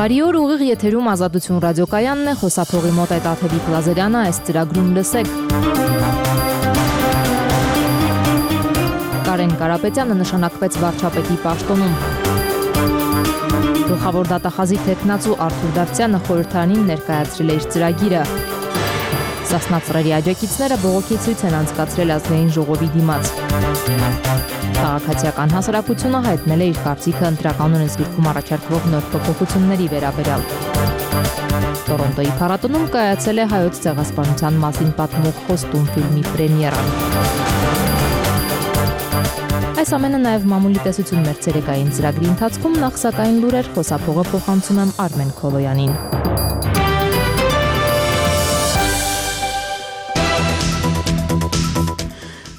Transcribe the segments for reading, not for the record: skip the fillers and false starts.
Բարի օր, ուղիղ եթերում Ազատություն ռադիոկայանն է, խոսափողի մոտ այդ Աթևիկ Լազարյանը, այս ծրագրում լսեք։ Կարեն Կարապետյանը նշանակվեց վարչապետի պաշտոնում։ Գլխավոր դատախազի թեկնածու Արթուր Դավթյանը խորհրդարանին ներկայացրել է իր ծրագիրը։ Սասնա ծռերի աջակիցները բողոքի ցույց են անցկացրել ազգային ժողովի դիմաց։ Քաղաքացիական հասարակությունը հայտնել է իր կարծիքը ընտրականոն զգիրքում առաջարկվող նոր փոփոխությունների վերաբերյալ։ Տորոնտոյի փառատոնում կայացել է հայոց ցեղասպանության մասին պատմող խոստում ֆիլմի պրեմիերան։ Այս ամենը նաև մամուլի տեսություն մեր ցերեկային ծրագրի ընթացքում, նախ սակայն լուրեր, խոսափողը փոխանցում եմ Արմեն Քոլոյանին։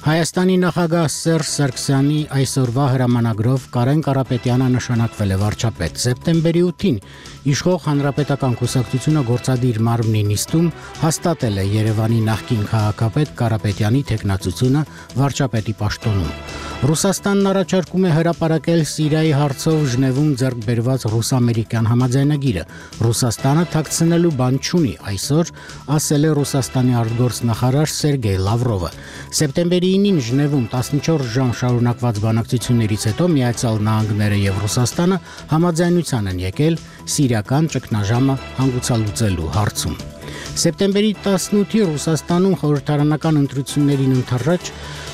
Հայաստանի նախագահ Սերժ Սարգսյանի այսօրվա հրամանագրով Կարեն Կարապետյանը նշանակվել է վարչապետ։ Սեպտեմբերի 8-ին իշխող Հանրապետական կուսակցությունը գործադիր մարմնի նիստում հաստատել է Երևանի նախկին քաղաքապետ Կարապետյանի թեկնածությունը վարչապետի պաշտոնում։ Ռուսաստանն առաջարկում է հրապարակել Սիրիայի հարցով Ժնևում ձեռք բերված ռուս-ամերիկյան համաձայնագիրը։ Ռուսաստանը թաքցնելու բան չունի, այսօր ասել է Ռուսաստանի արտգործնախարար Սերգեյ Լավրովը։ Սեպտեմբերի 9-ին Ժնևում 14 ժամ շարունակված բանակցություններից հետո Միացյալ Նահանգները եւ Ռուսաստանը համաձայնության են եկել սիրիական ճգնաժամը հանգուցալուծելու հարցում։ Սեպտեմբերի 18-ի Ռուսաստանում խորհրդարանական ընտրություններին ընթառաջ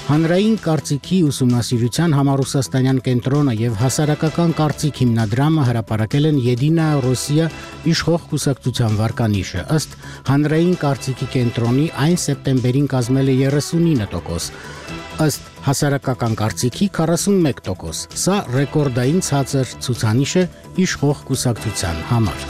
Հանրային կարծիքի ուսումնասիրության համառուսաստանյան կենտրոնը եւ հասարակական կարծիք հիմնադրամը հրապարակել են Եդինայա Ռոսիա իշխող կուսակցության վարկանիշը։ Ըստ Հանրային կարծիքի կենտրոնի այն սեպտեմբերին կազմել է 39%, ըստ հասարակական կարծիքի 41%։ Սա ռեկորդային ցածր ցուցանիշ է իշխող կուսակցության համար։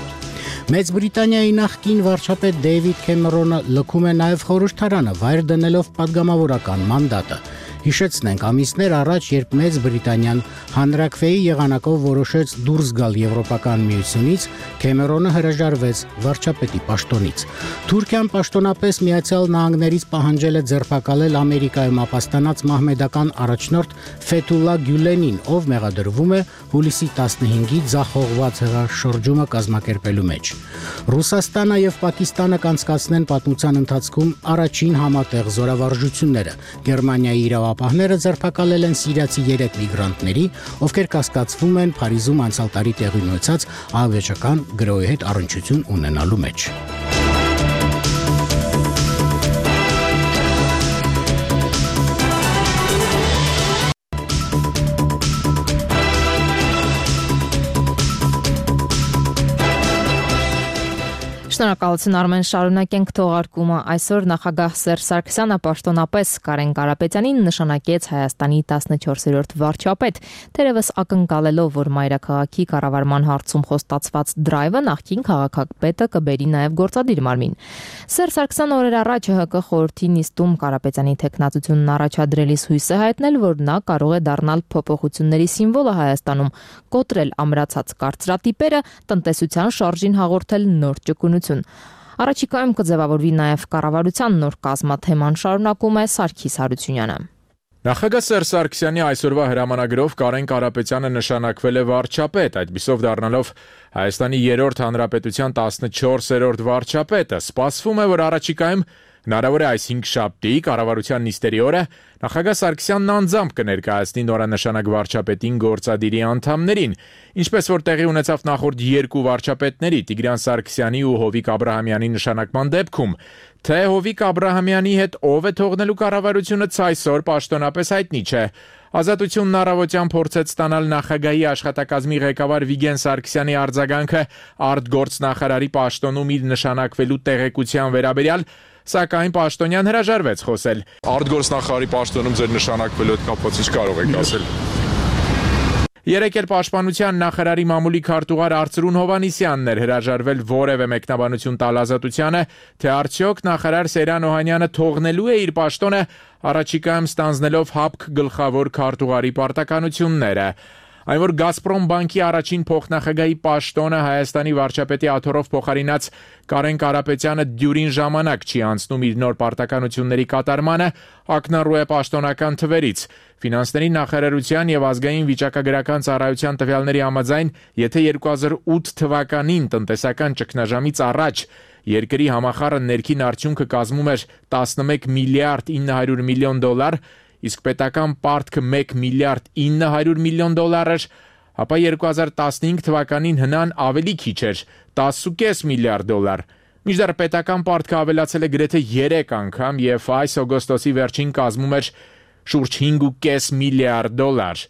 Մեծ Բրիտանիայի նախկին վարչապետ Դեյվիդ Քեմերոնը լքում է նաև խորհրդարանը, վայր դնելով պատգամավորական մանդատը։ Հիշեցնենք, ամիսներ առաջ, երբ Մեծ Բրիտանիան հանրաքվեի եղանակով որոշեց դուրս գալ Եվրոպական միությունից, Քեմերոնը հրաժարվեց վարչապետի պաշտոնից։ Թուրքիան պաշտոնապես Միացյալ Նահանգներից պահանջել է ձերբակալել Ամերիկայում ապաստանած մահմեդական առաջնորդ Ֆեթուլլա Գյուլենին, ով մեղադրվում է հուլիսի 15-ի ձախողված հեղաշրջումը կազմակերպելու մեջ։ Ռուսաստանը եւ Պակիստանը կանցկացնեն պատմության ընթացքում առաջին համատեղ զորավարժությունները։ Գերմանիայի իրավապահները ձերբակալել են սիրիացի 3 միգրանտների, ովքեր կասկածվում են Փարիզում անցյալ տարի տեղի ունեցած ահաբեկչական գրոհի հետ առնչություն ունենալու մեջ։ Շնորհակալություն Արմեն, շարունակենք թողարկումը։ Այսօր նախագահ Սերժ Սարգսյանը պաշտոնապես Կարեն Կարապետյանին նշանակեց Հայաստանի 14-րդ վարչապետ, թերևս ակնկալելով, որ մայրաքաղաքի կառավարման հարցում խոստացված դրայվը նախկին քաղաքապետը կբերի նաև գործադիր մարմին։ Սերժ Սարգսյանը օրեր առաջ ՀՀԿ խորհրդի նիստում Կարապետյանի թեկնածությունն առաջադրելիս հույս է հայտնել, որ նա կարող է դառնալ փոփոխությունների սիմվոլը Հայաստանում, կոտրել ամրացած կարծրատիպերը, տնտեսության շարժին հաղորդել նոր ճկունություն։ Առաջիկայում կձևավորվի նաև կառավարության նոր կազմաթեման, շարունակում է Սարգիս Հարությունյանը։ Նախագահ Սերժ Սարգսյանի այսօրվա հրամանագրով Կարեն Կարապետյանը նշանակվել է վարչապետ, այդպիսով դառնալով Հայաստանի 3-րդ հանրապետության 14-րդ վարչապետը։ Սպասվում է, որ առաջիկայում հնարավոր է այս 5 շաբթի կառավարության նիստերի օրը նախագահ Սարգսյանն անձամբ կներկայացնի նորանշանակ վարչապետին գործադիրի անդամներին, ինչպես որ տեղի ունեցավ նախորդ 2 վարչապետների Տիգրան Սարգսյանի ու Հովիկ Աբրահամյանի նշանակման դեպքում, թե Հովիկ Աբրահամյանի հետ ով է թողնելու կառավարությունը այսօր պաշտոնապես հայտնի չէ։ Ազատությունն առավոտյան փորձեց ստանալ նախագահի աշխատակազմի ղեկավար Վիգեն Սարգսյանի արձագանքը արտգործնախարարի պաշտոնում իր նշանակվելու տեղեկության վերաբերյալ, սակայն պաշտոնյան հրաժարվեց խոսել։ Արտգործնախարարի պաշտոնում ձեր նշանակվելու հետ կապված ինչ կարող եք ասել։ Երեկ էլ Պաշտպանության նախարարի մամուլի քարտուղար Արծրուն Հովհաննիսյանն էր հրաժարվել որևէ մեկնաբանություն տալ Ազատությանը, թե արդյոք նախարար Սերյան Օհանյանը թողնելու է իր պաշտոնը, առաջիկայում ստանձնելով ՀԱՊԿ գլխավոր քարտուղարի պարտականությունները։ Այն որ Գազպրոմ բանկի առաջին փոխնախագահի պաշտոնը Հայաստանի վարչապետի աթոռով փոխարինած Կարեն Կարապետյանը դյուրին ժամանակ չի անցնում իր նոր պարտականությունների կատարմանը, ակնառու է պաշտոնական թվերից։ Ֆինանսների նախարարության եւ ազգային վիճակագրական ծառայության տվյալների համաձայն, եթե 2008 թվականին տնտեսական ճգնաժամից առաջ երկրի համախառն ներքին արդյունքը կազմում էր 11 միլիարդ 900 միլիոն դոլար, իսկ պետական պարտքը 1 միլիարդ 900 միլիոն դոլար էր, ապա 2015 թվականին հնան ավելի քիչ էր 10.5 միլիարդ դոլար։ Մինչդեռ պետական պարտքը ավելացել է գրեթե 3 անգամ եւ այս օգոստոսի վերջին կազմում էր շուրջ 5.5 միլիարդ դոլար։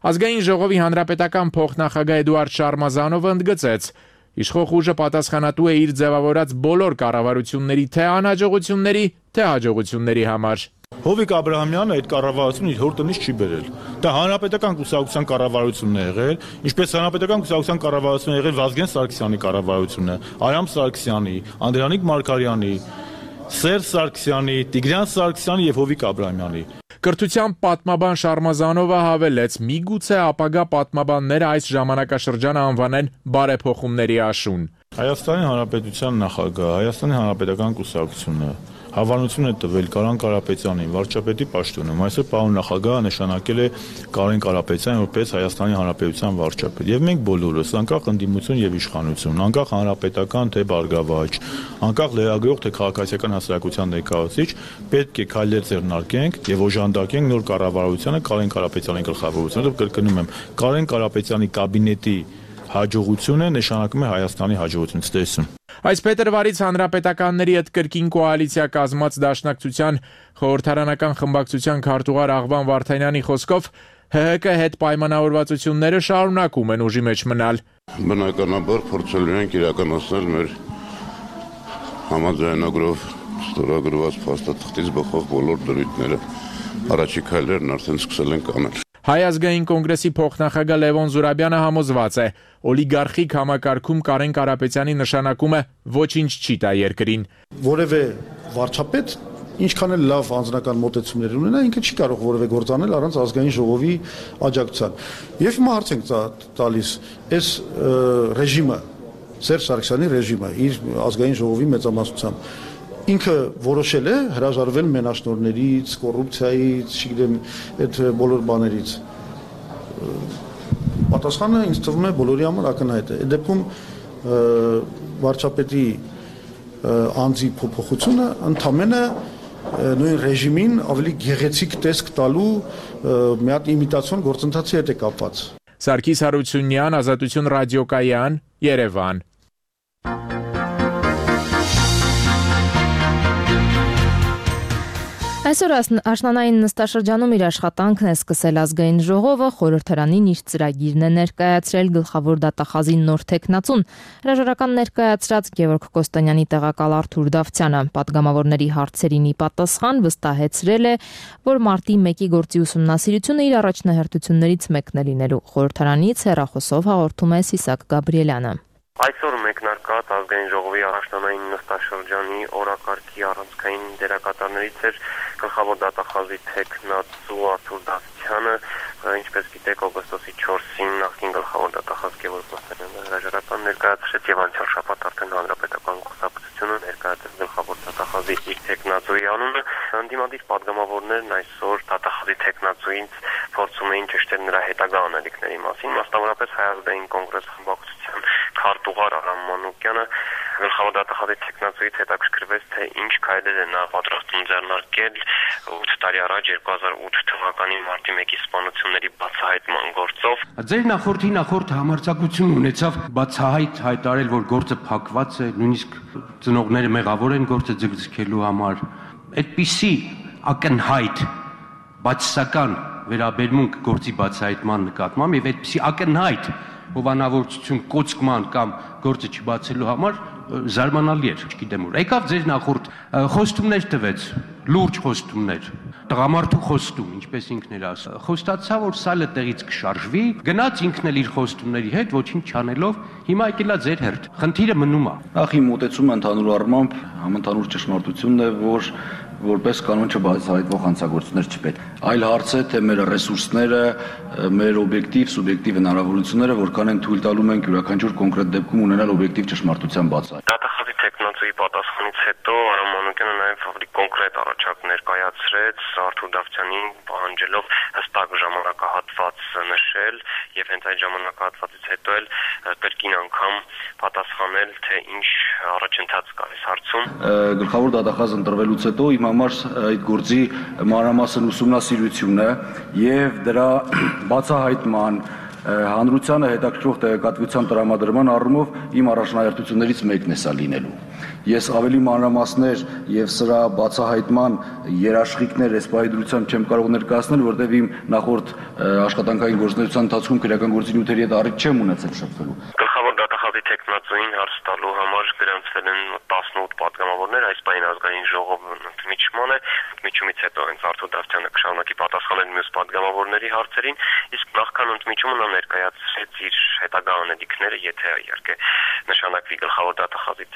Ազգային ժողովի հանրապետական փոխնախագահ Էդուարդ Շարմազանովը ընդգծեց. Իշխող ուժը պատասխանատու է իր ձևավորած բոլոր կառավարությունների թե անհաջողությունների, թե հաջողությունների համար։ Հովիկ Աբրահամյանը այդ կառավարությունը իր հոր տնից չի բերել։ Դա հանրապետական կուսակցության կառավարությունն է եղել, ինչպես հանրապետական կուսակցության կառավարությունն է եղել Վազգեն Սարգսյանի կառավարությունը, Արամ Սարգսյանի, Անդրանիկ Մարգարյանի, Սերժ Սարգսյանի, Տիգրան Սարգսյանի եւ Հովիկ Աբրահամյանի։ Կրթության պատմաբան Շարմազանովը հավելեց. միգուցե ապագա պատմաբանները այս ժամանակաշրջանը անվանեն բարեփոխումների աշուն։ Հայաստանի Հանրապետության նախագահ, Հայաստանի Հանրապետական կուսակցությունը հավանություն է տվել Կարեն Կարապետյանին վարչապետի պաշտոնում։ Այսօր պարոն նախագահը նշանակել է Կարեն Կարապետյանին որպես Հայաստանի Հանրապետության վարչապետ։ Եվ մենք բոլորս, անկախ ընդդիմություն եւ իշխանություն, անկախ հանրապետական թե բարգավաճ, անկախ լրագրող թե քաղաքացիական հասարակության ներկայացուցիչ, պետք է քայլեր ձեռնարկենք եւ օժանդակենք նոր կառավարությանը Կարեն Կարապետյանի գլխավորությամբ։ Կրկնում եմ, Կարեն Կարապետյանի կաբինետի հաջողությունը նշանակում է Հայաստանի հաջողություն ստեսում։ Այս փետրվարից հանրապետականների հետ կրկին կոալիցիա կազմած դաշնակցության խորհրդարանական խմբակցության քարտուղար Աղվան Վարդանյանի խոսքով ՀՀԿ հետ պայմանավորվածությունները շարունակում են ուժի մեջ մնալ։ Բնականաբար փորձելու ենք իրականացնել մեր համաձայնագրով ստորագրված փաստաթղթից բխող բոլոր դրույթները։ Առաջի քայլերն արդեն սկսել ենք անել։ Հայ ազգային կոնգրեսի փոխնախագահ Լևոն Զուրաբյանը համոզված է, օլիգարխիկ համակարգում Կարեն Կարապետյանի նշանակումը ոչինչ չի տա երկրին։ Որևէ վարչապետ ինչքան էլ լավ անձնական մոտեցումներ ունենա, ինքը չի կարող որևէ գործ անել առանց ազգային ժողովի աջակցության։ Եվ հիմա հարց ենք տալիս, այս ռեժիմը, Սերժ Սարգսյանի ռեժիմը իր ազգային ժողովի մեծամասնությամբ ինքը որոշել է հրաժարվել մենաշնորհներից, կոռուպցիայից, չգիտեմ, այդ բոլոր բաներից։ Պատասխանը ինձ թվում է բոլորի համար ակնհայտ է։ Այդ դեպքում վարչապետի անձի փոփոխությունը ընդամենը նույն ռեժիմին ավելի գեղեցիկ տեսք տալու մի հատ իմիտացիոն գործընթացի հետ է կապված։ Սարգիս Հարությունյան, Ազատություն ռադիոկայան, Երևան։ Այսօր աշնանային նստաշրջանում իր աշխատանքն է սկսել ազգային ժողովը, խորհրդարանին իր ծրագիրն է ներկայացրել գլխավոր դատախազի նոր թեկնածուն, հրաժարական ներկայացրած Գևորգ Կոստանյանի տեղակալ Արթուր Դավթյանը պատգամավորների հարցերին ի պատասխան վստահեցրել է, որ մարտի 1-ի գործի ուսումնասիրությունը իր առաջնահերթություններից մեկն է լինելու։ Խորհրդարանից հեռախոսով հաղորդում է Սիսակ Գաբրիելյանը։ Այսօր մեկնարկած ազգային ժողովի առաջնային նստաշրջանի օրակարգի առանցքային դերակատարներից էր գլխավոր դատախազի թեկնածու Արթուր Դավթյանը, ինչպես գիտեք, օգոստոսի 4-ին նախկին գլխավոր դատախազ Գևորգ Կոստանյանը հրաժարական ներկայացրեց եւ անցյալ շաբաթ արդեն հանրապետական կուսակցությունը ներկայացրեց գլխավոր դատախազի իր թեկնածուի անունը։ Ընդդիմադիր պատգամավորներն այսօր դատախազի թեկնածուից փորձում էին ճշտել նրա հետագա անելիքների մասին, մասնավորապես Հայ ազգային կոնգրես խմբակցության քարտուղար Արամ Մանուկյանը գլխավոր դատախազի թեկնածուից հետաքրքրվեց, թե ինչ քայլեր է նա պատրաստում ձեռնարկել 8 տարի առաջ 2008 թվականի մարտի 1-ի սպանությունների բացահայտման գործով։ Ձեր նախորդ համարձակություն ունեցավ բացահայտ հայտարարել, որ գործը փակված է, նույնիսկ ծնողները մեղավոր են գործը ձգձգելու համար։ Այդպիսի ակնհայտ բացասական վերաբերմունք գործի բացահայտման նկատմամբ եւ այդպիսի ակնհայտ հովանավորություն կոծկման կամ գործը չբացելու համար զարմանալի էր, չգիտեմ ուր։ Եկավ ձեր նախորդ խոստումներ տվեց, լուրջ խոստումներ, տղամարդու խոստում, ինչպես ինքն էր ասում։ Խոստացա, որ սալը տեղից կշարժվի, գնաց ինքն էլ իր խոստումների հետ, ոչինչ չանելով, հիմա եկելա ձեր հերթ։ Խնդիրը մնում է։ Նախ իմ մոտեցումը ընդհանուր առմամբ համընդհանուր ճշմարտությունն է, որ որպես կանոն չբացահայտվող հանցագործներ չպետք։ Այլ հարց է, թե մեր ռեսուրսները, մեր օբյեկտիվ, սուբյեկտիվ հնարավորությունները որքան են թույլ տալու մենք յուրաքանչյուր կոնկրետ դեպքում ունենալ օբյեկտիվ ճշմարտության բացահայտ։ Դատախազի տեխնացուի պատասխանից հետո Արամ Մանուկյանը նաև ավելի կոնկրետ առաջարկ ներկայացրեց Արթուր Դավթյանին պահանջելով հստակ ժամանակահատված նշել եւ հենց այդ ժամանակահատվածից հետո էլ կրկին անգամ պատասխանել, թե ինչ առաջընթաց կա այս հարցում։ Գլխավոր դատախազ ընտրվելուց հետո իմ համար այդ գործի մանրամասն ուսումնասիրությունը եւ դրա բացահայտման հանրությանը հետաքրքրող տեղեկատվության տրամադրման առումով իմ առաջնահերթություններից մեկն է սա լինելու։ Ես ավելի մանրամասներ եւ սրա բացահայտման երաշխիքներ այս պահի դրությամբ չեմ կարող ներկայացնել, որտեղ իմ նախորդ աշխատանքային գործունեության ընթացքում քրեական գործի նյութերի հետ առիթ չեմ ունեցել շփվելու։ Գլխավոր դատախազի տեխնացուին հարց տալու համար գրանցվել են 18 падգամավորներ, այս պահին ազգային ժողովը ընդմիջման է, ընդմիջումից հետո հենց Արթուր Դավթյանը կշարունակի պատասխանել մյուս падգամավորների հարցերին, իսկ նախքան ընդմիջումը նա ներկայացրեց իր հետագա անելիքները, եթե իհարկե նշանակվի գլխավոր դատախազի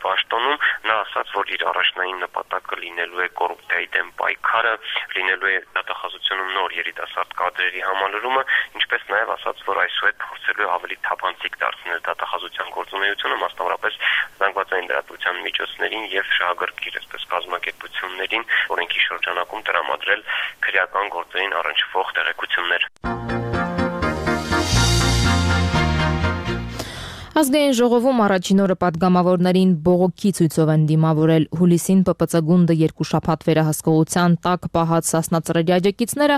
պաշտոնում, նա ասաց, որ իր առաջնային նպատակը լինելու է կոռուպցիայի դեմ պայքարը, լինելու է դատախազությունում նոր երիտասարդ կադրերի համալրումը, ինչպես նաև ասաց, որ այսուհետ փորձելու է ավելի թափանցիկ դարձնել դատախազության գործունեությունը, մասնավորապես զանգվածային լրատվության միջոցներին եւ շահագրգիռ, այսպես կազմակերպություններին, օրենքի շրջանակում տրամադրել քրեական գործերին առնչվող տեղեկություններ։ Ազգային ժողովում առաջին օրը падգամավորներին բողոքի ցույցով են դիմավորել հուլիսին ՊՊՑ գունդը 2 շաբաթ վերահսկողության տակ պահած Սասնա-Ծռերի աջակիցները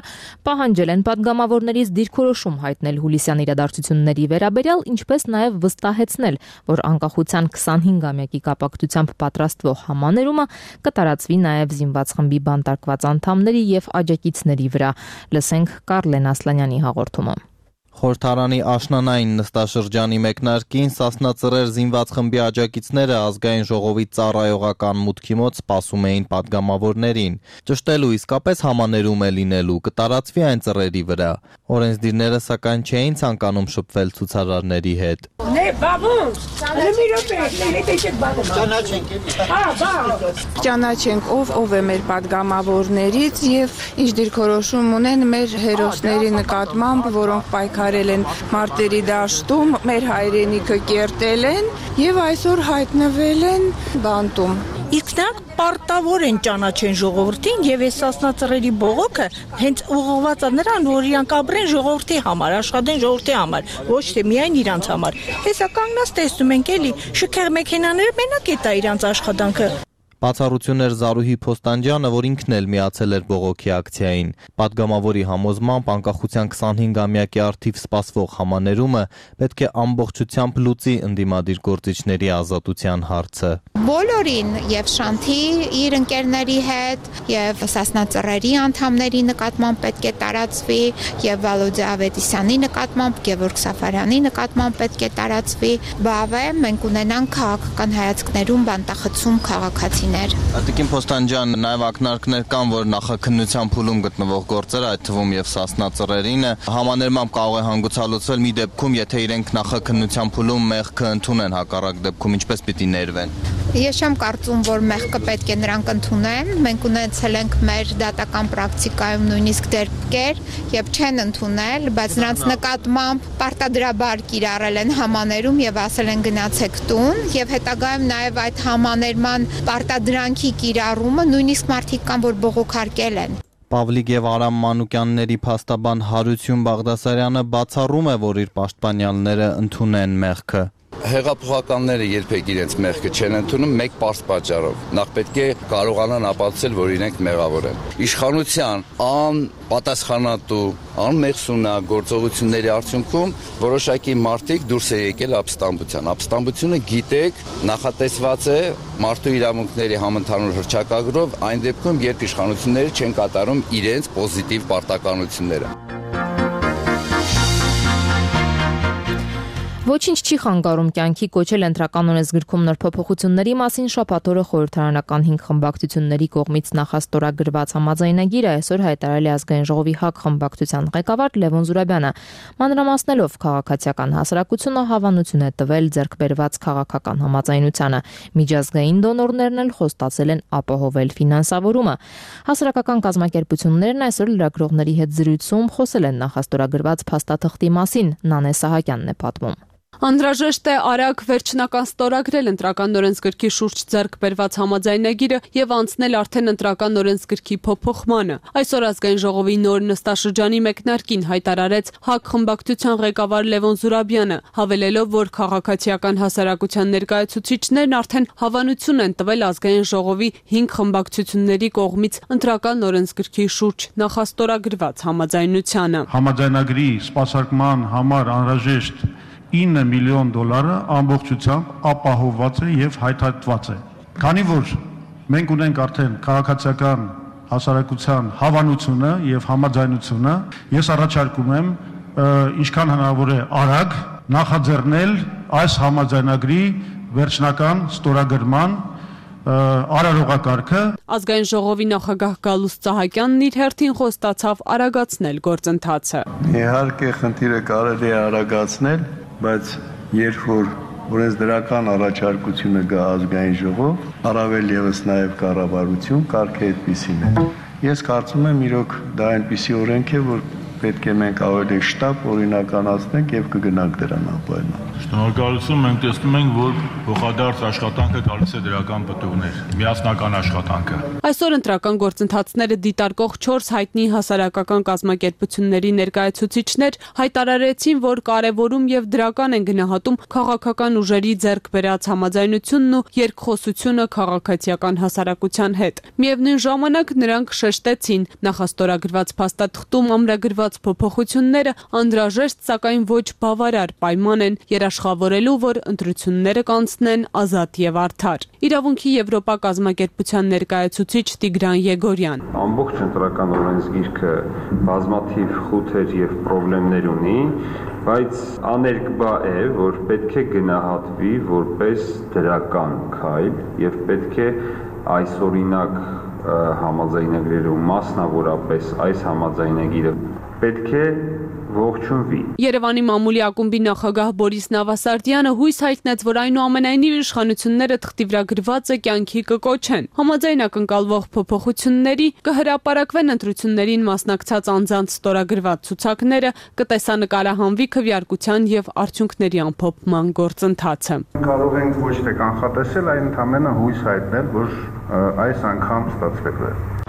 պահանջել են падգամավորներից դիրքորոշում հայտնել հուլիսյան իրադարձությունների վերաբերյալ, ինչպես նաև վստահեցնել, որ անկախության 25-ամյակի կապակցությամբ պատրաստվող համաներումը կտարածվի նաև զինված խմբի բանտարկված անդամների եւ աջակիցների վրա։ Լսենք Կարլեն Ասլանյանի հաղորդումը։ Խորհրդարանի աշնանային նստաշրջանի մեկնարկին Սասնա-Ծռեր զինված խմբի աջակիցները ազգային ժողովի ծառայողական մուտքի մոտ սպասում էին падգամավորներին։ Ճշտելու իսկապես համաներում է լինելու, կտարածվի այն ծռերի վրա։ Օրենսդիրները սակայն չէին ցանկանում շփվել ցուցարարների հետ։ Ճանաչենք ով է մեր падգամավորներից եւ ինչ դիրքորոշում ունեն մեր հերոսների նկատմամբ, որոնք պայքարել են մարտերի դաշտում, մեր հայրենիքը կերտել են եւ այսօր հայտնվել են բանտում։ Իսկ նրանք պարտավոր են ճանաչեն ժողովրդին եւ այս Սասնա-Ծռերի բողոքը հենց ուղղված է նրան, որ իրանք ապրեն ժողովրդի համար, աշխատեն ժողովրդի համար, ոչ թե միայն իրանց համար։ Հեսա կանգնած տեսնում ենք էլի, շքեղ մեքենաները մենակ է տա իրանց աշխատանքը։ Բացառություն էր Զարուհի Փոստանջյանը, որ ինքն էլ միացել էր բողոքի ակցիային։ Պատգամավորի համոզմամբ անկախության 25-ամյակի առթիվ սպասվող համաներումը պետք է ամբողջությամբ լուծի ընդդիմադիր գործիչների ազատության հարցը։ Բոլորին եւ Շանթի իր ընկերների հետ եւ Սասնա-Ծռերի անդամների նկատմամբ պետք է տարածվի եւ Վալոդե Ավետիսյանի նկատմամբ, Գևորգ Սաֆարյանի նկատմամբ պետք է տարածվի։ Բավե մենք ունենանք քաղաքական հայացքներում բանտախցում քաղաքացի Տիկին Փոստանջյան, նաև ակնարկներ կան, որ նախաքննության փուլում գտնվող գործերը, այդ թվում եւ Սասնա-Ծռերինը, համաներմամբ կարող է հանգուցալուծվել մի դեպքում, եթե իրենք նախաքննության փուլում մեղքը ընդունեն, հակառակ դեպքում ինչպես պիտի ներվեն։ Ես չեմ կարծում, որ մեղքը պետք է նրանք ընդունեն։ Մենք ունեցել ենք մեր դատական պրակտիկայում նույնիսկ դեպքեր, եւ չեն ընդունել, բայց նրանց նկատմամբ պարտադրաբար կիրառել են համաներում եւ ասել են գնացեք տուն, եւ հետագայում նաեւ այդ համաներման պարտադրանքի կիրառումը նույնիսկ մարդիկ կան, որ բողոքարկել են։ Պավլիկ եւ Արամ Մանուկյանների փաստաբան Հարություն Բաղդասարյանը բացառում է, որ իր պաշտպանյալները ընդունեն մեղքը։ Հեղափոխականները երբեք իրենց մեղքը չեն ընդունում մեկ պարզ պատճառով։ Նախ պետք է կարողանան ապացուցել, որ իրենք մեղավոր են։ Իշխանության անպատասխանատու, անմեղսունակ գործողությունների արդյունքում որոշակի մարդիկ դուրս է եկել ապստամբության։ Ապստամբությունը գիտեք, նախատեսված է մարդու իրավունքների համընդհանուր հռչակագրով այն դեպքում, երբ իշխանությունները չեն կատարում իրենց պոզիտիվ պարտականությունները։ Ոչինչ չի խանգարում կյանքի կոչել ընտրական օրենսգրքում նոր փոփոխությունների մասին շաբաթ օրը խորհրդարանական 5 խմբակցությունների կողմից նախաստորագրված համաձայնագիրը այսօր հայտարարել է ազգային ժողովի ՀԱԿ խմբակցության ղեկավար Լևոն Զուրաբյանը։ Մանրամասնելով քաղաքացիական հասարակությունը հավանություն է տվել ձեռքբերված քաղաքական համաձայնությանը։ Միջազգային դոնորներն էլ խոստացել են ապահովել ֆինանսավորումը։ Հասարակական կազմակերպություններն այսօր լրագրողների հետ զրույցում խոսել են նախաստորագրված փաստաթղթի մասին։ Նանե Սահակյանն է պատմում։ Անհրաժեշտ է արագ վերջնական ստորագրել ընտրական օրենսգրքի շուրջ ձեռք բերված համաձայնագիրը եւ անցնել արդեն ընտրական օրենսգրքի փոփոխմանը։ Այսօր ազգային ժողովի նոր նստաշրջանի մեկնարկին հայտարարեց ՀԱԿ խմբակցության ղեկավար Լևոն Զուրաբյանը, հավելելով, որ քաղաքացիական հասարակության ներկայացուցիչներն արդեն հավանություն են տվել ազգային ժողովի 5 խմբակցությունների կողմից ընտրական օրենսգրքի շուրջ նախաստորագրված համաձայնությանը։ Համաձայնագրի սպասարկման համար անհրաժեշտ $9 միլիոն ամբողջությամբ ապահովված է եւ հայտարարված է։ Քանի որ մենք ունենք արդեն քաղաքացիական հասարակության հավանությունը եւ համաձայնությունը, ես առաջարկում եմ ինչքան հնարավոր է արագ նախաձեռնել այս համաձայնագրի վերջնական ստորագրման արարողակարգը։ Ազգային ժողովի նախագահ Գալուստ Սահակյանն իր հերթին խոստացավ արագացնել գործընթացը։ Իհարկե խնդիրը կարելի է արագացնել, բայց երբ որ օրենսդրական առաջարկությունը գա ազգային ժողով, առավել եւս նաեւ կառավարություն կարգը այդպիսին է։ Ես կարծում եմ իրոք դա այնպիսի օրենք է, որ պետք է մենք ավելի շտապ օրինականացնենք եւ կգնանք դրան ապայման։ Շնորհակալություն, մենք տեսնում ենք, որ փոխադարձ աշխատանքը գալիս է դրական պտուղներ, միասնական աշխատանքը։ Այսօր ընտրական գործընթացները դիտարկող 4 հայտնի հասարակական կազմակերպությունների ներկայացուցիչներ հայտարարեցին, որ կարևորում եւ դրական են գնահատում քաղաքական ուժերի ձեռք բերած համաձայնությունն ու երկխոսությունը քաղաքացիական հասարակության հետ։ Միևնույն ժամանակ նրանք շեշտեցին, նախաստորագրված փաստաթղթում ամրագրված փոփոխությունները անհրաժեշտ, սակայն ոչ բավարար պայման են երաշխավորելու, որ ընտրությունները կանցնեն ազատ եւ արդար։ Իրավունքի Եվրոպա կազմակերպության ներկայացուցիչ Տիգրան Եգորյան։ Ամբողջ ընտրական օրենսգիրքը բազմաթիվ խութեր եւ խնդիրներ ունի, բայց աներկբա է, որ պետք է գնահատվի որպես դրական քայլ եւ պետք է այսօրինակ համաձայնագրերում մասնավորապես այս համաձայնագիրը պետք է ողջունվի։ Երևանի մամուլի ակումբի նախագահ Բորիս Նավասարդյանը հույս հայտնեց, որ այնուամենայնիվ իշխանությունները թղթի վրա գրվածը կյանքի կկոչեն։ Համաձայն ակնկալվող փոփոխությունների կհրապարակվեն ընտրություններին մասնակցած անձանց ստորագրված ցուցակները, կտեսանկարահանվի քվեարկության եւ արդյունքների ամփոփման գործընթացը։ Կարող ենք ոչ թե կանխատեսել, այլ ընդհանրապես հույս հայտնել, որ այս անգամ ստացվելու է։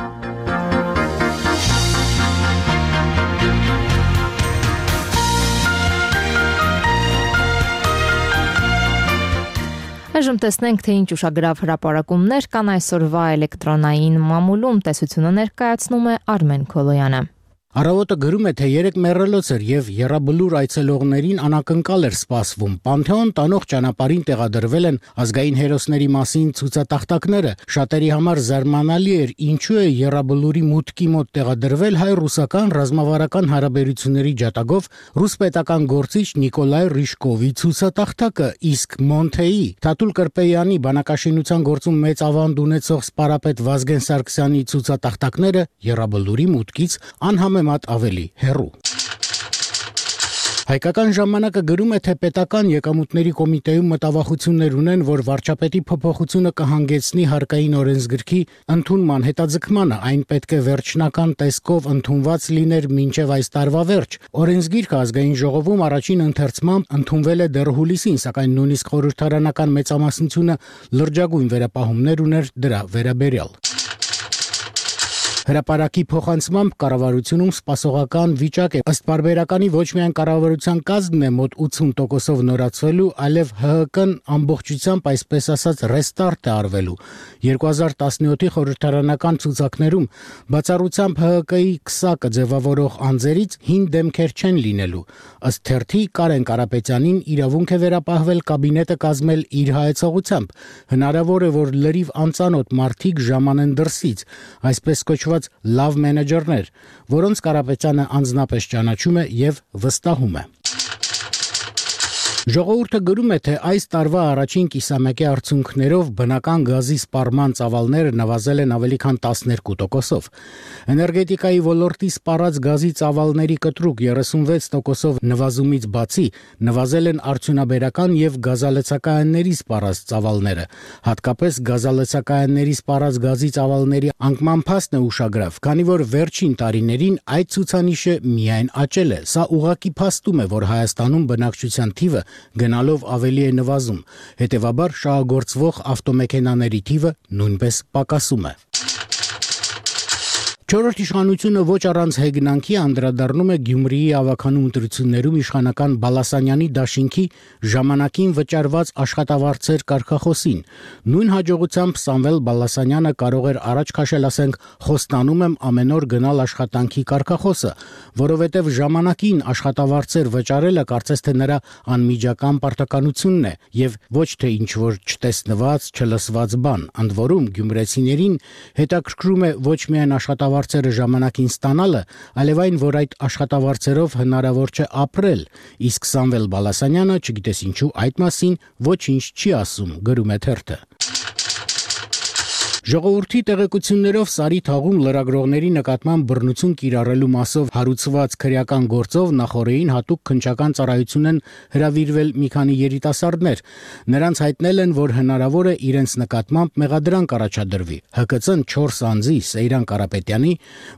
Այժմ տեսնենք, թե ինչ ուշագրավ հրապարակումներ կան այսօրվա էլեկտրոնային մամուլում։ Տեսությունը ներկայացնում է Արմեն Քոլոյանը։ Առավոտը գրում է, թե 3 մեռելոց էր եւ Եռաբլուր այցելողներին անակնկալ էր սպասվում։ Պանթեոն տանող ճանապարհին տեղադրվել են ազգային հերոսների մասին ցուցատախտակները։ Շատերի համար զարմանալի էր, ինչու է Եռաբլուրի մուտքի մոտ տեղադրվել հայ-ռուսական ռազմավարական հարաբերությունների ջատագով ռուս պետական գործիչ Նիկոլայ Ռիշկովի ցուցատախտակը, իսկ Մոնթեի Թաթուլ Կրպեյանի բանակաշինության գործում մեծ ավանդ ունեցող սպարապետ Վազգեն Սարգսյանի ցուցատախտակները Եռաբլուրի մուտքից անհամեմատ ավելի հեռու։ Հայկական ժամանակը գրում է, թե պետական եկամուտների կոմիտեում մտավախություններ ունեն, որ վարչապետի փոփոխությունը կհանգեցնի հարկային օրենսգրքի ընդունման հետաձգմանը, այն պետք է վերջնական տեսքով ընդունված լիներ մինչև այս տարվա վերջ։ Օրենսգիրքը ազգային ժողովում առաջին ընթերցմամբ ընդունվել է դեռ հուլիսին, սակայն նույնիսկ խորհրդարանական մեծամասնությունը լրջագույն վերապահումներ ուներ դրա վերաբերյալ։ Հրապարակի փոխանցմամբ կառավարությունում սպասողական վիճակ է։ Ըստ պարբերականի ոչ միայն կառավարության կազմն է մոտ 80%-ով նորացվելու, այլև ՀՀԿ-ն ամբողջությամբ, այսպես ասած, ռեստարտ է արվելու։ 2017-ի խորհրդարանական ցուցակներում բացառությամբ ՀՀԿ-ի քսակը ձևավորող անձերից հին դեմքեր չեն լինելու։ Ըստ թերթի Կարեն Կարապետյանին իրավունք է վերապահվել կաբինետը կազմել իր հայեցողությամբ։ Հնարավոր է, որ լրիվ անծանոթ մարդիկ ժամանեն դրսից, այսպես կոչված լավ մենեջերներ, որոնց Կարապետյանը անձնապես ճանաչում է եւ վստահում է։ Ժողովուրդը գրում է, թե այս տարվա առաջին կիսամյակի արդյունքներով բնական գազի սպառման ծավալները նվազել են ավելի քան 12%-ով։ Էներգետիկայի ոլորտի սպառած գազի ծավալների կտրուկ 36%-ով նվազումից բացի նվազել են արդյունաբերական եւ գազալցակայանների սպառած ծավալները։ Հատկապես գազալցակայանների սպառած գազի ծավալների անկման փաստն է ուշագրավ, քանի որ վերջին տարիներին այդ ցուցանիշը միայն աճել է։ Սա ուղղակի փաստում է, որ Հայաստանում բնակչության թիվը գնալով ավելի է նվազում, հետևաբար շահագործվող ավտոմեքենաների թիվը նույնպես պակասում է։ Չորրորդ իշխանությունը ոչ առանց հեգնանքի անդրադառնում է Գյումրիի ավականու ընտրություններում իշխանական Բալասանյանի դաշինքի ժամանակին վճարված աշխատավարձեր կարգախոսին։ Նույն հաջողությամբ Սամվել Բալասանյանը կարող էր առաջ քաշել, ասենք, խոստանում եմ ամեն օր գնալ աշխատանքի կարգախոսը, որովհետև ժամանակին աշխատավարձեր վճարելը կարծես թե նրա անմիջական պարտականությունն է եւ ոչ թե ինչ-որ չտեսնված, չլսված բան։ Ընդ որում գյումրեցիներին հետաքրքրում է ոչ միայն աշխատավարձերը ժամանակին ստանալը, այլև այն, որ այդ աշխատավարձերով հնարավոր չէ ապրել, իսկ Սամվել Բալասանյանը, չգիտես ինչու, այդ մասին ոչինչ չի ասում, գրում է թերթը։ Ժողովրդի տեղեկություններով Սարի թաղում լրագրողների նկատմամբ բռնություն կիրառելու մասով հարուցված քրեական գործով նախորդին հատուկ քննչական ծառայություն են հրավիրվել մի քանի երիտասարդներ։ Նրանց հայտնել են, որ հնարավոր է իրենց նկատմամբ մեղադրանք առաջադրվի։ ՀԿՑ-ն 4 անձի՝ Սեյրան Կարապետյանի,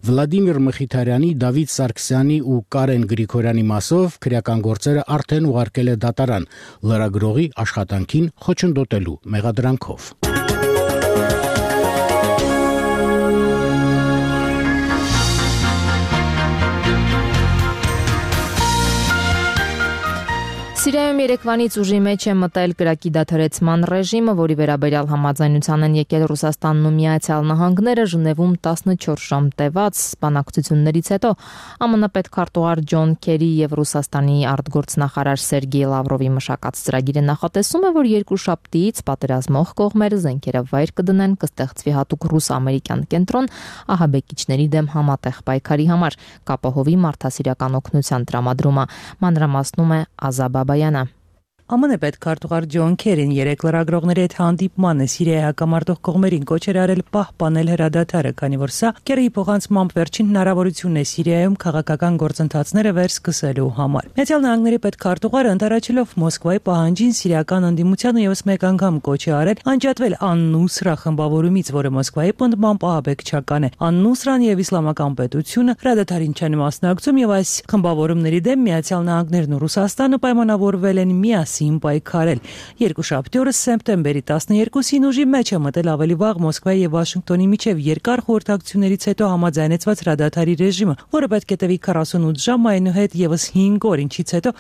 Վլադիմիր Մխիթարյանի, Դավիթ Սարգսյանի ու Կարեն Գրիգորյանի մասով քրեական գործերը արդեն ուղարկել է դատարան լրագրողի աշխատանքին խոչընդոտելու մեղադրանքով։ Սիրիայում երեկվանից ուժի մեջ է մտել կրակի դադարեցման ռեժիմը, որի վերաբերյալ համաձայնության են եկել Ռուսաստանն ու Միացյալ Նահանգները Ժնևում 14 ժամ տևած բանակցություններից հետո ԱՄՆ պետքարտուղար Ջոն Քերի եւ Ռուսաստանի արտգործնախարար Սերգեյ Լավրովի մշակած ծրագիրը նախատեսում է, որ երկուշաբթիից պատերազմող կողմերը զենքերը վայր կդնեն, կստեղծվի հատուկ ռուս-ամերիկյան կենտրոն ահաբեկիչների դեմ համատեղ պայքարի համար, կապահովի մարդասիրական օգնության տրամադրումը, մանրամասնում է Ազաբաբայանը։ ԱՄՆ պետքարտուղար Ջոն Քերին երեք լրագրողների հետ հանդիպմանը Սիրիայի հակամարտող կողմերին կոչ էր արել պահպանել հրադադարը, քանի որ սա Քերիի փոխանցմամբ վերջին հնարավորությունն է Սիրիայում քաղաքական գործընթացները վերսկսելու համար։ Միացյալ Նահանգների պետքարտուղարը ընդառաջելով Մոսկվայի պահանջին սիրիական ընդդիմությանը եւս մեկ անգամ կոչ է արել անջատվել Ան-Նուսրա խմբավորումից, որը Մոսկվայի պնդմամբ ահաբեկչական է։ Ան-Նուսրան եւ Իսլամական պետությունը հրադադարին չեն մասնակցում եւ այս խմբավորումների դեմ Միացյալ Նահանգներն ու Ռուսաստանը պայմանավորվել են միասին պայքարել։ Երկուշաբթի օրը սեպտեմբերի 12-ին ուժի մեջ է մտել ավելի վաղ Մոսկվայի եւ Վաշինգտոնի միջև երկար խորհրդակցություններից հետո համաձայնեցված հրադադարի ռեժիմը, որը պետք է տևի 48 ժամ, այնուհետ եւս 5 օր, ինչից հետո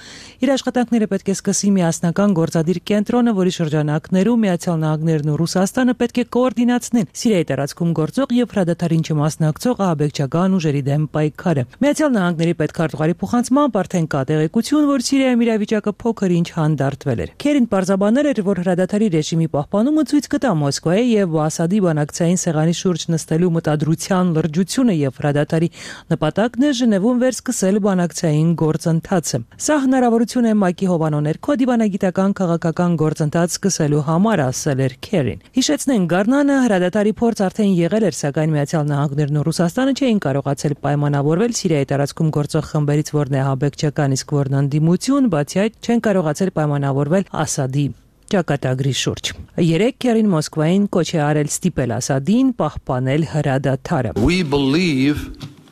իր աշխատանքները պետք է սկսի միասնական գործադիր կենտրոնը, որի շրջանակներում Միացյալ Նահանգներն ու Ռուսաստանը պետք է կոորդինացնեն Սիրիայի տարածքում գործող եւ հրադադարին չմասնակցող ահաբեկչական ուժերի դեմ պայքարը։ Միացյալ Նահանգների պետքարտուղարի փոխանցմամբ արդեն կա տեղեկություն, որ Սիրիայում իրավիճակը փոքր ինչ հանդարտվել էր։ Քերին պարզաբանել էր, որ հրադադարի ռեժիմի պահպանումը ցույց կտա Մոսկվայի եւ Ասադի բանակցային սեղանի շուրջ նստելու մտադրության լրջությունը եւ հրադադարի նպատակն է Ժնևում վերսկսել բանակցային գործընթացը։ Սա հնարավորություն է ՄԱԿ-ի հովանոներքո դիվանագիտական քաղաքական գործընթաց սկսելու համար, ասել էր Քերին։ Հիշեցնենք, Գառնանը հրադադարի փորձ արդեն եղել էր, սակայն Միացյալ Նահանգներն ու Ռուսաստանը չէին կարողացել պայմանավորվել Սիրիայի տարածքում գործող խմբերից որն է ահաբեկչական, իսկ որն ընդդիմություն, բացի այդ չեն կարողացել պայմանավորվել Ասադի ճակատագրի շուրջ։ Երեք Քերին Մոսկվային կոչ է արել ստիպել Ասադին պահպանել հրադադարը։ We believe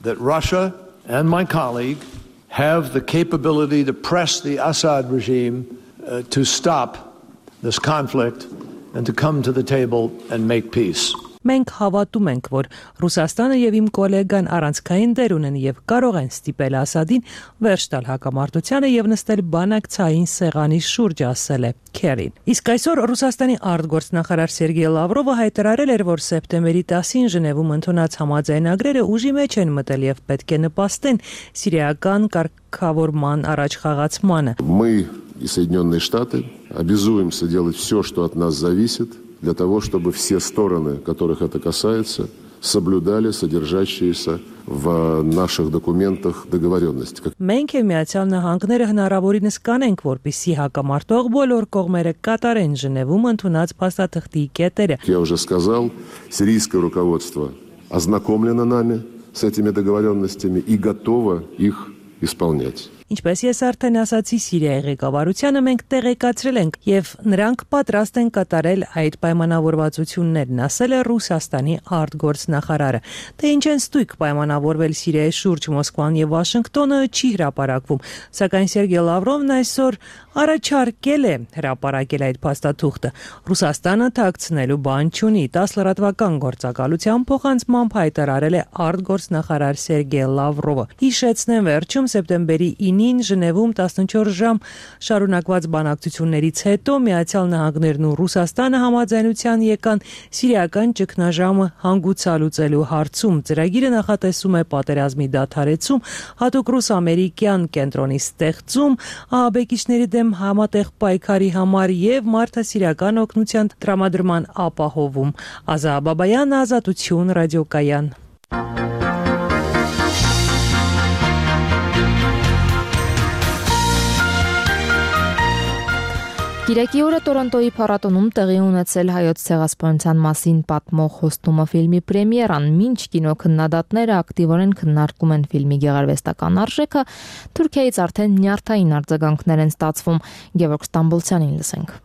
that Russia and my colleague have the capability to press the Assad regime to stop this conflict and to come to the table and make peace. Մենք հավատում ենք, որ Ռուսաստանը եւ իմ գոլեգան առանցքային դեր ունեն եւ կարող են ստիպել Ասադին վերջ տալ հակամարտությանը եւ նստել բանակցային սեղանի շուրջ, ասել է Քերին։ Իսկ այսօր Ռուսաստանի արտգործնախարար Սերգեյ Լավրովը հայտարարել էր, որ սեպտեմբերի 10-ին Ժնևում ընդունած համաձայնագրերը ուժի մեջ են մտել եւ պետք է նպաստեն սիրիական կարգավորման առաջխաղացմանը։ Мы и Соединенные Штаты обязуемся делать все, что от нас зависит, для того, чтобы все стороны, которых это касается, соблюдали содержащиеся в наших документах договоренности. Մենք եւ Միացյալ Նահանգները հնարավորինս կանենք, որպեսզի հակամարտող բոլոր կողմերը կատարեն Ժնևում ընդունած փաստաթղթի կետերը. Я уже сказал, сирийское руководство ознакомлено нами с этими договоренностями и готово их исполнять. Ինչպես ես արդեն ասացի, Սիրիայի ղեկավարությանը մենք տեղեկացրել ենք եւ նրանք պատրաստ են կատարել այդ պայմանավորվածություններն, ասել է Ռուսաստանի արտգործնախարարը։ Թե ինչ են ստույգ պայմանավորվել Սիրիայի շուրջ Մոսկվան եւ Վաշինգտոնը չի հրապարակվում, սակայն Սերգեյ Լավրովն այսօր առաջարկել է հրապարակել այդ փաստաթուղթը։ Ռուսաստանը թաքցնելու բան չունի, 10 լրատվական գործակալության փոխանցմամբ հայտարարել է արտգործնախարար Սերգեյ Լավրովը։ Հիշեցնեմ, վերջում սեպտեմբերի 9-ին Ժնևում 14 ժամ շարունակված բանակցություններից հետո Միացյալ Նահանգներն ու Ռուսաստանը համաձայնության եկան սիրիական ճգնաժամը հանգուցալուծելու հարցում։ Ծրագիրը նախատեսում է պատերազմի դադարեցում, հատուկ ռուս-ամերիկյան կենտրոնի ստեղծում, ահաբեկիչների դեմ համատեղ պայքարի համար եւ մարդասիրական օգնության տրամադրման ապահովում։ Ազա Բաբայան, Ազատություն, ռադիոկայան։ Կիրակի օրը Տորոնտոյի փառատոնում տեղի ունեցել հայոց ցեղասպանության մասին պատմող խոստումը ֆիլմի պրեմիերան, մինչ կինոքննադատները ակտիվորեն քննարկում են ֆիլմի գեղարվեստական արժեքը, Թուրքիայից արդեն նյարդային արձագանքներ են ստացվում։ Գևորգ Ստամբոլցյանին լսենք։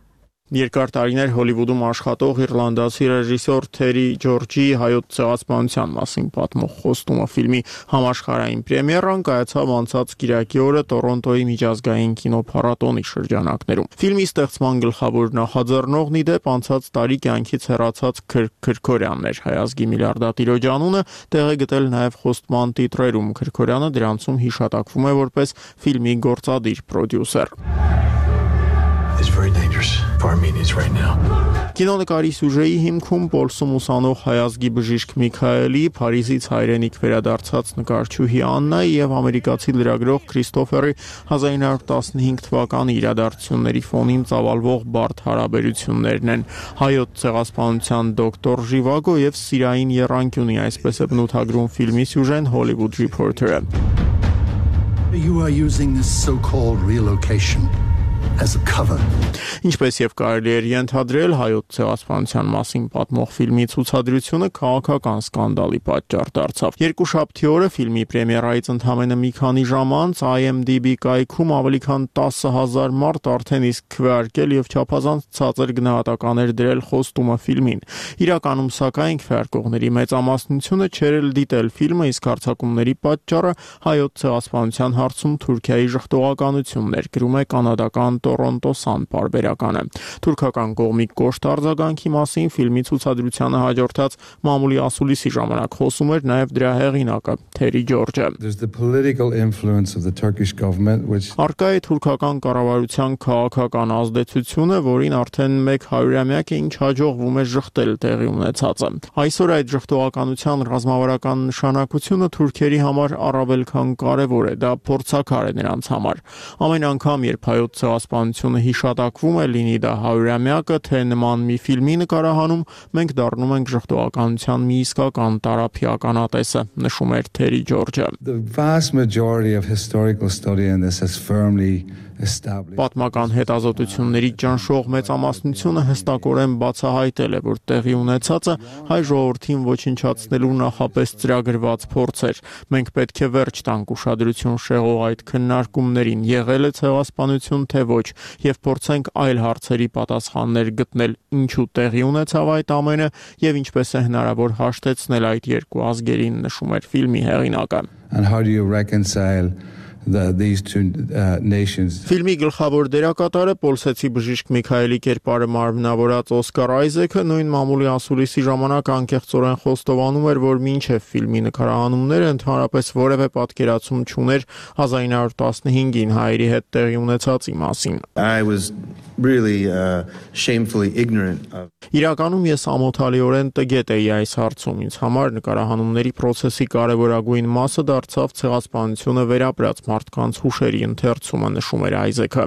Երկար տարիներ Հոլիվուդում աշխատող իռլանդացի ռեժիսոր Թերի Ջորջի հայոց ցեղասպանության մասին պատմող խոստումը ֆիլմի համաշխարհային պրեմիերան կայացավ անցած կիրակի օրը Տորոնտոյի միջազգային կինոփառատոնի շրջանակներում։ Ֆիլմի ստեղծման գլխավոր նախաձեռնողն ի դեպ անցած տարի կյանքից հեռացած Քրքորյանն էր։ Հայազգի միլիարդատիրոջ անունը տեղ է գտել նաև խոստման տիտրերում։ Քրքորյանը դրանցում հիշատակվում է որպես ֆիլմի գործադիր պրոդյուսեր։ It's very dangerous for Armenians right now. Կինոնկարի սյուժեի հիմքում Պոլսում ուսանող հայազգի բժիշկ Միքայելի, Փարիզից հայրենիք վերադարձած նկարչուհի Աննայի եւ ամերիկացի լրագրող Քրիստոֆերի 1915 թվականի իրադարձությունների ֆոնին ծավալվող բարդ հարաբերություններն են։ Հայոց ցեղասպանության դոկտոր Ժիվագո եւ սիրային եռանկյունի, այսպես է բնութագրում ֆիլմի սյուժեն Hollywood Reporter-ը։ You are using this so-called relocation as a cover. Ինչպես եւ կարելի էր ենթադրել, հայոց ցեղասպանության մասին պատմող ֆիլմի ցուցադրությունը քաղաքական սկանդալի պատճառ դարձավ։ Երկուշաբթի օրը ֆիլմի պրեմիերայից ընդամենը մի քանի ժամ անց IMDb կայքում ավելի քան 10,000 մարդ արդեն իսկ քվեարկել եւ չափազանց ցածր գնահատականներ դրել խոստումը ֆիլմին։ Իրականում սակայն քվեարկողների մեծամասնությունը չէր դիտել ֆիլմը, իսկ հարձակումների պատճառը հայոց ցեղասպանության հարցում Թուրքիայի ժխտողականությունն էր, գրում է կանադական Toronto Sun պարբերականը։ Թուրքական կողմի կոշտ արձագանքի մասին ֆիլմի ցուցադրությանը հաջորդած մամուլի ասուլիսի ժամանակ խոսում էր նաև դրա հեղինակը Թերի Ջորջը։ Արկա է թուրքական կառավարության քաղաքական ազդեցությունը, որին արդեն 100-ամյակ է ինչ հաջողվում է ժխտել տեղի ունեցածը։ Այսօր այդ ժխտողականության ռազմավարական նշանակությունը թուրքերի համար առավել քան կարևոր է, դա փորձաքար է նրանց համար։ Ամեն անգամ, երբ հայոց ցեղասպանությունը հիշատակվում է, լինի դա 100-ամյակը, թե նման մի ֆիլմի նկարահանում, մենք դառնում ենք ժխտողականության մի իսկական տարափիականատեսը, նշում էր Թերի Ջորջը։ Պատմական հետազոտությունների ճնշող մեծամասնությունը հստակորեն բացահայտել է, որ տեղի ունեցածը հայ ժողովրդին ոչնչացնելու նախապես ծրագրված փորձ էր։ Մենք պետք է վերջ տանք ուշադրություն շեղող այդ քննարկումներին, եղել է ցեղասպանություն թե ոչ, եւ փորձենք այլ հարցերի պատասխաններ գտնել, ինչու տեղի ունեցավ այդ ամենը եւ ինչպես է հնարավոր հաշտեցնել այդ երկու ազգերին, նշում էր ֆիլմի հեղինակը։ These two nations. Ֆիլմի գլխավոր դերակատարը պոլսեցի բժիշկ Միքայելի կերպարը մարմնավորած Օսկար Այզեքը նույն մամուլի ասուլիսի ժամանակ անկեղծորեն խոստովանում էր, որ մինչև ֆիլմի նկարահանումները ընդհանրապես որևէ պատկերացում չուներ 1915-ին հայերի հետ տեղի ունեցածի մասին։ I was really shamefully ignorant of. Իրականում ես ամոթալիորեն տգետ էի այս հարցում։ Ինձ համար նկարահանումների process-ի կարևորագույն մասը դարձավ ցեղասպանությունը վերապրած մարդկանց հուշերի ընթերցումը, նշում էր Այզեքը։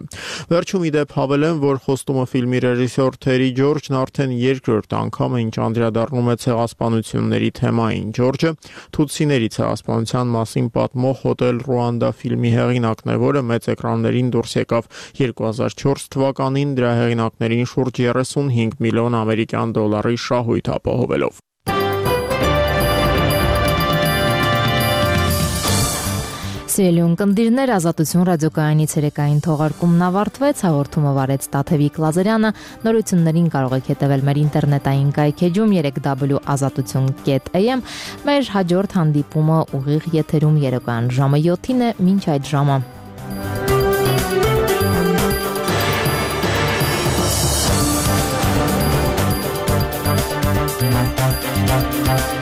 Վերջում ի դեպ հավելեմ, որ խոստումը ֆիլմի ռեժիսոր Թերի Ջորջն արդեն երկրորդ անգամ է, ինչ անդրադառնում է ցեղասպանությունների թեմային։ Ջորջը թութսիների ցեղասպանության մասին պատմող Հոտել Ռուանդա ֆիլմի հեղինակն է, որը մեծ էկրաններին դուրս եկավ 2004 թվականին, դրա հեղինակներին շուրջ 35 միլիոն ամերիկյան դոլարի շահույթ ապահովելով։ Սիրելի ունկնդիրներ, Ազատություն ռադիոկայանի ցերեկային թողարկումն ավարտվեց, հաղորդումը վարեց Տաթևիկ Լազարյանը, նորություններին կարող եք հետևել մեր ինտերնետային կայքեջում 3w.azatutun.am, մեր հաջորդ հանդիպումը ուղիղ եթերում երեկոյան ժամը 7-ին է, մինչ այդ ժամը։ Thank you.